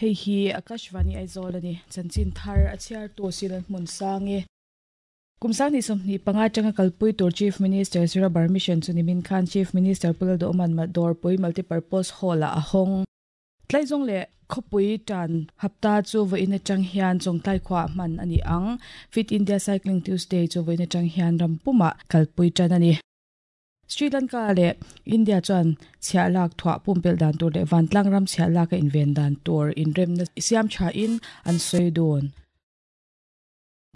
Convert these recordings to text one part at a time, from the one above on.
Hei hi Akashvani Aizawl a ni. Chanchin thar a chhiartu Silan Hmunsang e. Kum 2025 atanga kalpui tur Chief Minister's Rubber Mission chu nimin khan Chief Minister Pu Lalduhawma'n Dawrpui Multipurpose Hall-ah a hawng. Tlaizawng leh khawpui tan hapta chu vawiin atang hian Chawngtlai khuaah hman a ni ang. Fit India Cycling Tuesday chu vawiin atang hian ram pumah kalpui tan a ni. Sri Lanka leh India chuan chhiah lak thuah pumpelh dan tur leh vantlang ram chhiah lak a inven dan tur inremna siam thain an sawi dun.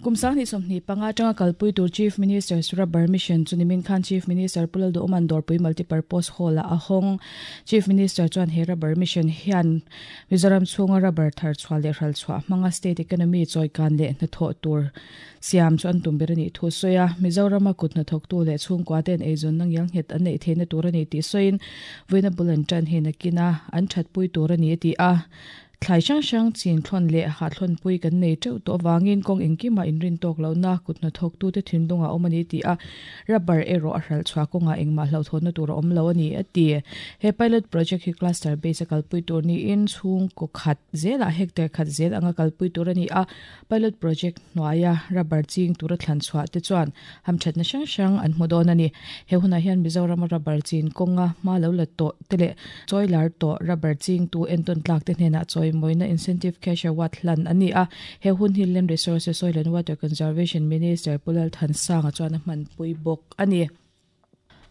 Kum 2025 atanga kalpui tur Chief Minister's Rubber Mission chu nimin khan Chief Minister Pu Lalduhawma'n Dawrpui Multipurpose Hall-ah a hawng. Chief Minister chuan he Rubber Mission hian Mizoram chhunga rubber thar chhuah leh hral chhuah hmanga state economy chawikan leh hnathawh tur siam chu an tum ber a nih thu a sawi a. Mizorama kut hnathawktu leh chhungkua te'n eizawnna ngialnghet an neih theihna tur a ni tih sawiin vawiina bul an tan hi nakina an thatpui tur a ni a ti a. Thlai hrang hrang chin thlawn leh hah thlawnpui kan nei teuh tawh avangin kawng engkimah inrin tawk lohna kut hnathawktute thinlungah a awm a ni tih a, rubber erawh a hralh chhuah kawngah engmah hlauhthawnna tur a awm lo a ni, a ti. He pilot project hi cluster base a kalpui tur niin chhungkaw khat zelah hectare khat zel anga kalpui tur a ni a, pilot project hnuaia rubber ching tura thlan chhuah te chuan hamthatna hrang hrang an hmu dawn a ni. He hunah hian Mizorama rubber chin kawnga hma lo la tawh te leh chawi lar tawh rubber chingtu entawn tlak te hnenah chawimawina incentive cash award hlan a ni a. He hun hi Land Resources, Soil and Water Conservation Minister Pu Lalthansanga chuan a hmanpui bawk a ni.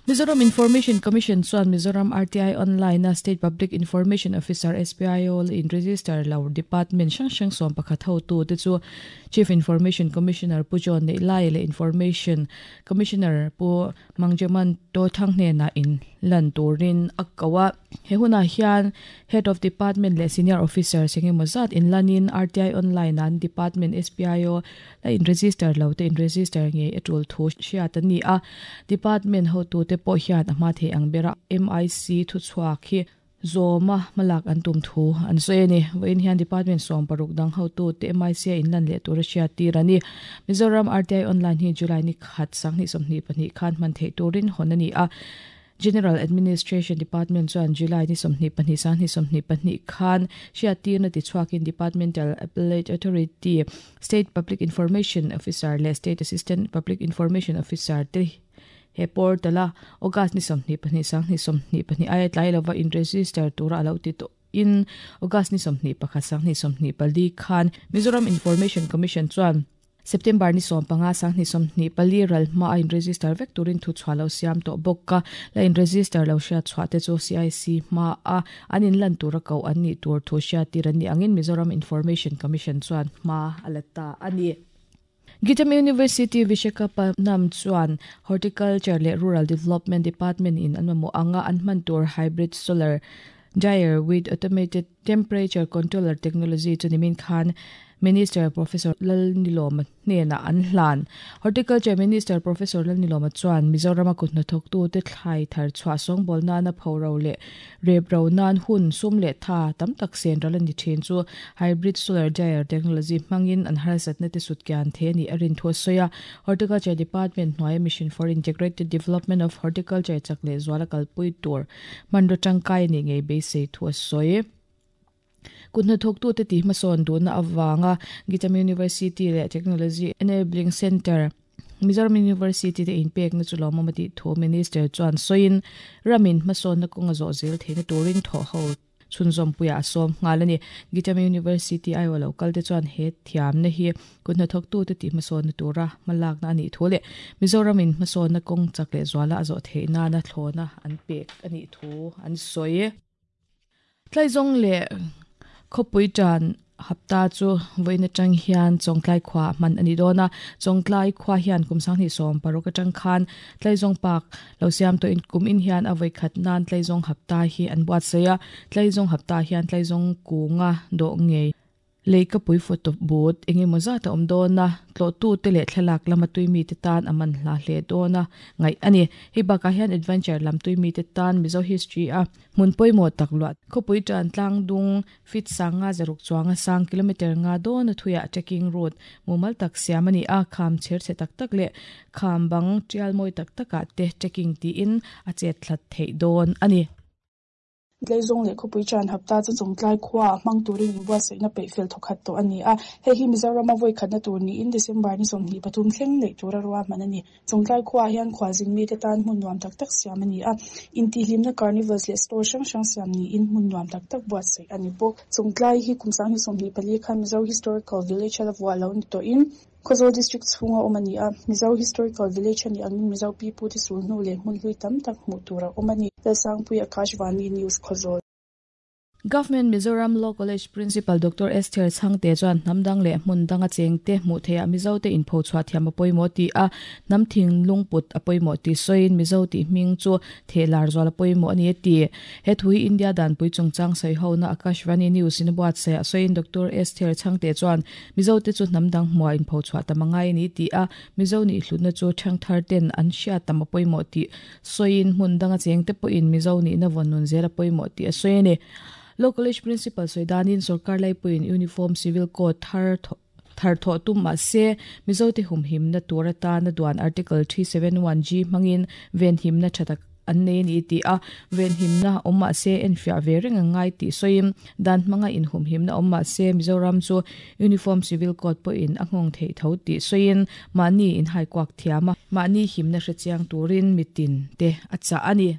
Mizoram Information Commission chuan Mizoram RTI Online-a State Public Information Officer, SPIO, la in-register lo department hrang hrang 11 hotute chu Chief Information Commissioner Pu John Neihlaia leh Information Commissioner Pu Mangjaman Tothang hnenah inlan turin a ko a. He hunah hian Head of Department leh Senior Officers engemaw zat inlanin RTI Online-a an department SPIO La in-register lo te in-register ngei a tul thu hriat a ni a, Department hotute pawh hian a hma thei ang bera MIC thuchhuak hi zawma hmalak an tum thu an sawi a ni. Vawiin hian Department 16 dang hotute MIC a inlan leh tura hriat tir a ni. Mizoram RTI Online hi July ni khat 2022 khan hman theih turin hawn a ni a. General Administration Department chuan July ni 22 2022 khan hriattirna tichhuakin Departmental Appellate Authority, State Public Information Officer leh State Assistant Public Information Officer te he portal-a August ni 22 2022 aia tlai lova in-register tura a lo ti tawh in August ni 21 2024 khan Mizoram Information Commission chuan September ni 15 2024 ral hma a in-register vek turin thu chhuah lo siam tawh bawk a, la in-register lo hriat chhuah te chu CIC hma a an inlan tura koh an nih tur thu hriattir an nih angin Mizoram Information Commission chuan hma a la ta a ni. Gitam University Visakhapatnam chuan Horticulture leh Rural Development Department in an mamawh anga an hman tur Hybrid Solar Dryer with Automated Temperature Controller Technology chu nimin khan Minister Professor Lalnilawma hnenah an hlan. Horticulture Minister Professor Lalnilawma chuan Mizorama kut hnathawktute thlai thar chhuah sawngbawl nana phoro leh rep ro nan hun sum leh tha tam tak sen ral a ni thin chu Hybrid Solar Dryer Technology hmangin an harsatna te sut kian the a nih a rin thu a sawi a. Horticulture Department hnuaia Mission for Integrated Development of Horticulture chak leh zuala kalpui tur hmanraw tangkai a nih ngei beisei thu a sawi. Kut hnathawktute tih hmasawn duhna avanga Gitam University leh Technology Enabling Centre, Mizoram University te inpekna chu lawmawm a tih thu Minister chuan sawiin, ramin hmasawnna kawnga zawh zel theihna turin thawhho chhunzawmpuiah a sawm nghal a ni. Gitam University aiawh lo kalte chuan he thiamna hi kut hnathawktute tih hmasawnna tura hmalakna a nih thu leh Mizoramin hmasawnna kawng chak leh zuala a zawh theih nana thlawna an pek a nih thu an sawi. Tlaizawng leh khawpui tan hapta chu vawiin atang hian Chawngtlai khua hman a ni dawn a. Chawngtlai khua hian kum 2016 atang khan Tlaizawng Park lo siam tawhin kum in hian a vawi khat nan Tlaizawng hapta hi an buatsaih a. Tlaizawng hapta hian Tlaizawng kunga dawh ngei Leikapui photo booth eng emaw zat a awm dawn a, tlawhtute leh thlalak lama tui mite tan a man hla hle dawn a ngaih a ni. Hei bakah hian adventure lam tui mite tan Mizo history a hmun pawimawh tak luah khawpui tan tlang dung feet sanga zaruk chuanga sang kilometre nga dawn a thuiah trekking route mumal tak siam a ni a, kham chher chhe tak tak leh kham bang tial mawi tak takah te trekking tiin a chet thlat theih dawn a ni. Tleizawng leh khawpui chan hapta chu Chawngtlai khuaah hmang turin inbuatsaihna peih fel thawkhat tawh a ni a. Hei hi Mizorama vawi khatna tur niin December ni 23 thleng neih tura ruahman a ni. Chawngtlai khuaah hian khualzin mite tan hmun nuam tak tak siam a ni a. Intihhlimna carnivals leh store hrang hrang siam niin hmun nuam tak tak buatsaih a ni bawk. Chawngtlai hi kum 2024 khan Mizo Historical Village a la vuah lo ni tawhin Khawzawl District chhunga awm a ni a, Mizo Historical Village a nih angin Mizo pipute sulhnu leh hmun hlui tam tak hmuh tur a awm a ni. Lalsangpui Akashvani News Khawzawl. Government Mizoram Law College Principal Doctor Esther Chhangte chuan hnam dang leh hmun danga chengte hmuh theihah Mizote inpho chhuah thiam a pawimawh tih a, hnam thinlung put a pawimawh tih sawiin Mizo tih hming chu theh lar zual a pawimawh a ni a ti. He thu hi India danpui chungchang sawihona Akashvani News in a buatsaih a sawiin Doctor Esther Chhangte chuan Mizote chu hnam dang hmuah inpho chhuah tam a ngai a ni tih a, Mizo nih hlutna chu thangthar ten an hriat tam a pawimawh tih sawiin hmun danga chengte pawhin Mizo nihna vawn nun zel a pawimawh tih a sawi a ni. Law College Principal sawi danin sorkar laipuiin Uniform Civil Code thar thar thawh tum mah se Mizote humhimna tur atana duan Article 371G hmangin venhimna tha tak an nei a ni tih a, venhimna awm mah se enfiah ve reng a ngai tih sawiin dan hmanga inhumhimna awm mah se Mizoram chu Uniform Civil Code pawhin a nghawng theih tho tih sawiin mahni inhaikuak thiam a, mahni himna hrechiang turin mitin te a chah a ni.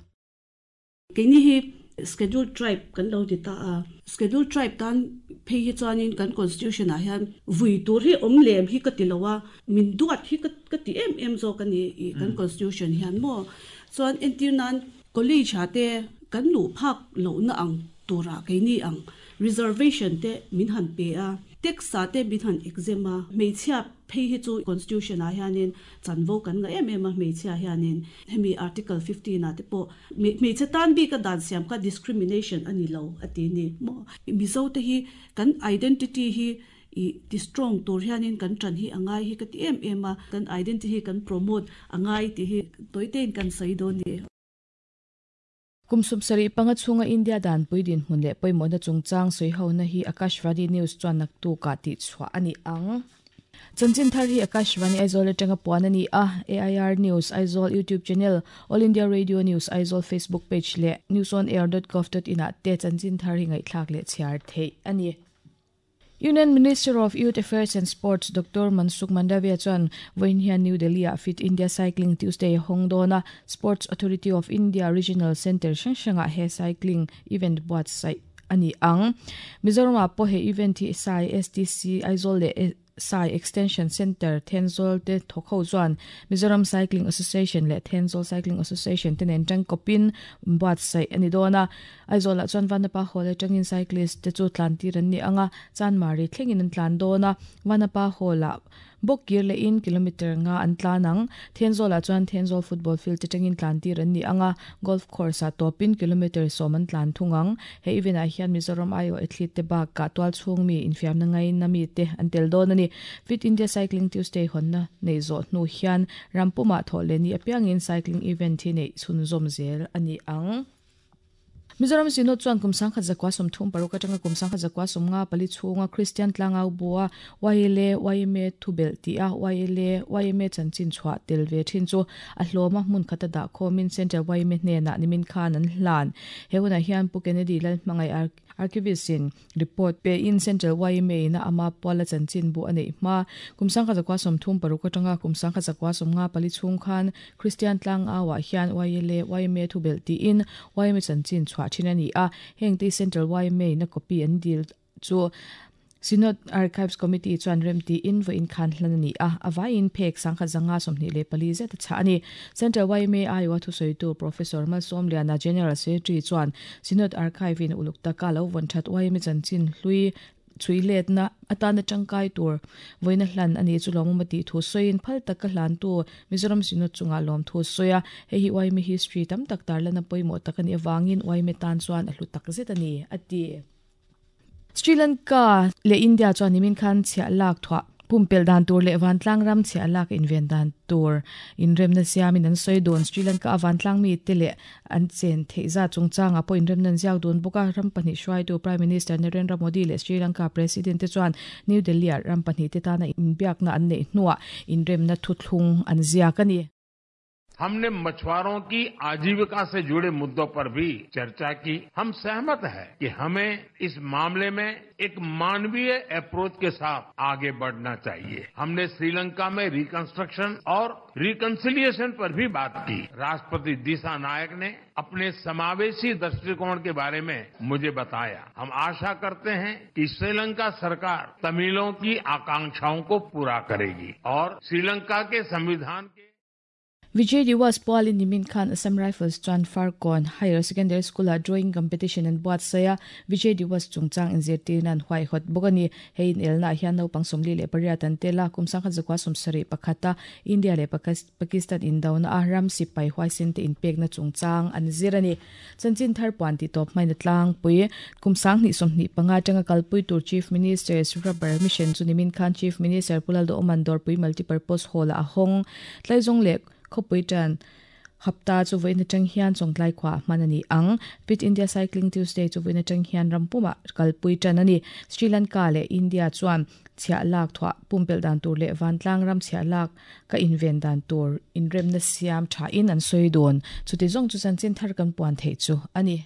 Keini hi Scheduled Tribe kan lo ti ta a, Scheduled Tribe tan phei hi chuanin kan Constitution ah hian vui tur hi awm lem hi ka ti lo a, min duat hi ka ti em em zawk a ni i kan Constitution hian maw. Chuan entir nan College ah te kan luh phak lohna ang turah keini ang reservation te min han pe a, tax ah te min han exempt a, hmeichhia phei hi chu Constitution ah hianin chanvo kan ngah em em a, hmeichhia hianin hemi Article 15 ah te pawh Hmeichhe tan bika dan siam kha discrimination a ni lo a ti ni maw? Mizo te hi kan identity hi i ti strong tur hianin kan tan hi a ngai hi ka ti em em a, kan identity hi kan promote a ngai tih hi tawitein kan sawi dawn ni. Kum 75 chhunga India danpui dinhmun leh pawimawhna chungchang sawihona hi Akashvani News chuan naktukah tihchhuah a ni ang. Chanchin thar hi Akashvani Aizawl atanga puan a ni a, AIR News Aizawl YouTube channel, All India Radio News Aizawl Facebook page leh newsonair.gov.in ah te chanchin thar hi ngaihthlak leh chhiar theih a ni. Union Minister of Youth Affairs and Sports Doctor Mansukh Mandaviya chuan vawiin hian New Delhi-ah Fit India Cycling Tuesday a hawng dawn a, Sports Authority of India Regional Centre hrang hrangah he cycling event buatsaih a ni ang. Mizoramah pawh he event hi SAI, STC, Aizawl leh SAI Extension Centre, Thenzawl te thawk ho chuan Mizoram Cycling Association leh Thenzawl Cycling Association te nen tangkawpin buatsaih a ni dawn a. Aizawlah chuan Vanapa Hall atangin cyclist te chu tlantir an ni ang a, Chanmari thlengin an tlan dawn a, Vanapa Hall-ah Bawk kir lehin kilometre nga an tlan ang. Thenzawlah chuan Thenzawl football field atangin tlan tir an ni ang a, golf course ah tawpin kilometre 10 an tlan thung ang. He event ah hian Mizoram aiawh athlete te bakah tualchhung mi infiamna ngaina mi te an tel dawn a ni. Fit India Cycling Tuesday hawnna neih zawh hnu hian ram pumah thawh leh ni apiangin cycling event hi neih chhunzawm zel a ni ang. Mizoram Synod chuan kum 1936 atanga kum 1954 chhunga Kristian tlangau bua YLA, yma thubelh tih a YLA, yma chanchin chhuah tel ve thin chu a hlawma hmun khata dah khawmin Central yma hnenah nimin khan an hlan. He hunah hian Pu Kennedy Lalhmangaih Archivist in Report pe in Central yma in a ama puala chanchin bu a neih hma. Kum 1936 atanga kum 1954 chhung khan Kristian tlangau ah hian YLA, yma thubelh tiin yma chanchin chhuah thin a ni a. Heng te Central yma in a copy an dil chu Synod Archives Committee chuan rem tiin vawiin khan hlan a ni a. A vaiin phek 1524 zet a chhah a ni. Central yma aiawha thusawitu Professor Malsawmliana General Secretary chuan Synod Archive in uluk taka lo vawn that yma chanchin hlui chhui letna atana tangkai tur vawiina hlan a ni chu lawmawm a tih thu sawiin phal taka hlantu Mizoram Synod chungah lawm thu sawi a, hei hi yma history tam tak tarlana pawimawh tak a nih avangin yma tan chuan a hlu tak zet a ni, a ti. Sri Lanka leh India chuan nimin khan chhiah lak thuah pumpelh dan tur leh vantlang ram chhiah lak inven dan tur inremna siamin an sawi dun. Sri Lanka a vantlang mite leh an chen theih zat chungchangah pawh inremna an ziak dun bawk a. Ram pahnih hruaitu Prime Minister Narendra Modi leh Sri Lanka President te chuan New Delhi-ah ram pahnih te tana inbiakna an neih hnuah inremna thuthlung an ziak a ni. हमने मछुआरों की आजीविका से जुड़े मुद्दों पर भी चर्चा की। हम सहमत हैं कि हमें इस मामले में एक मानवीय अप्रोच के साथ आगे बढ़ना चाहिए। हमने श्रीलंका में रिकंस्ट्रक्शन और रिकंसिलिएशन पर भी बात की। राष्ट्रपति दिशा नायक ने अपने समावेशी दृष्टिकोण के बारे में मुझे बताया। हम आशा करते हैं कि श्रीलंका सरकार तमिलों की आकांक्षाओं को पूरा करेगी और श्रीलंका के संविधान के Vijay Diwas pualin nimin khan Assam Rifles chuan Farkawn Higher Secondary School-ah Drawing Competition an buatsaih a, Vijay Diwas chungchang inzirtirna an huaihawt bawk a ni. Hei inelnaah hian naupang 48 an tel a, kum 1971 a India leh Pakistan indona a ram sipai huaisen te inpekna chungchang an zir a ni. Chanchin thar puan tih tawp hmain a tlangpui. Kum 2025 atanga kalpui tur Chief Minister's Rubber Mission chu nimin khan Chief Minister Pu Lalduhawman Dawrpui Multipurpose Hall-ah a hawng. Tlaizawng leh Khawpui tan hapta chu vawiin atang hian Chawngtlai khuaah hman a ni ang. Fit India Cycling Tuesday chu vawiin atang hian rampumah kalpui tan a ni. Sri Lanka leh India chuan chhiah lak thuah pumpelh dan tur leh vantlang ram chhiah lak ka inven dan tur inremna siam thain an sawi dawn. Chuti zawng chu chanchin thar kan puan theih chu a ni.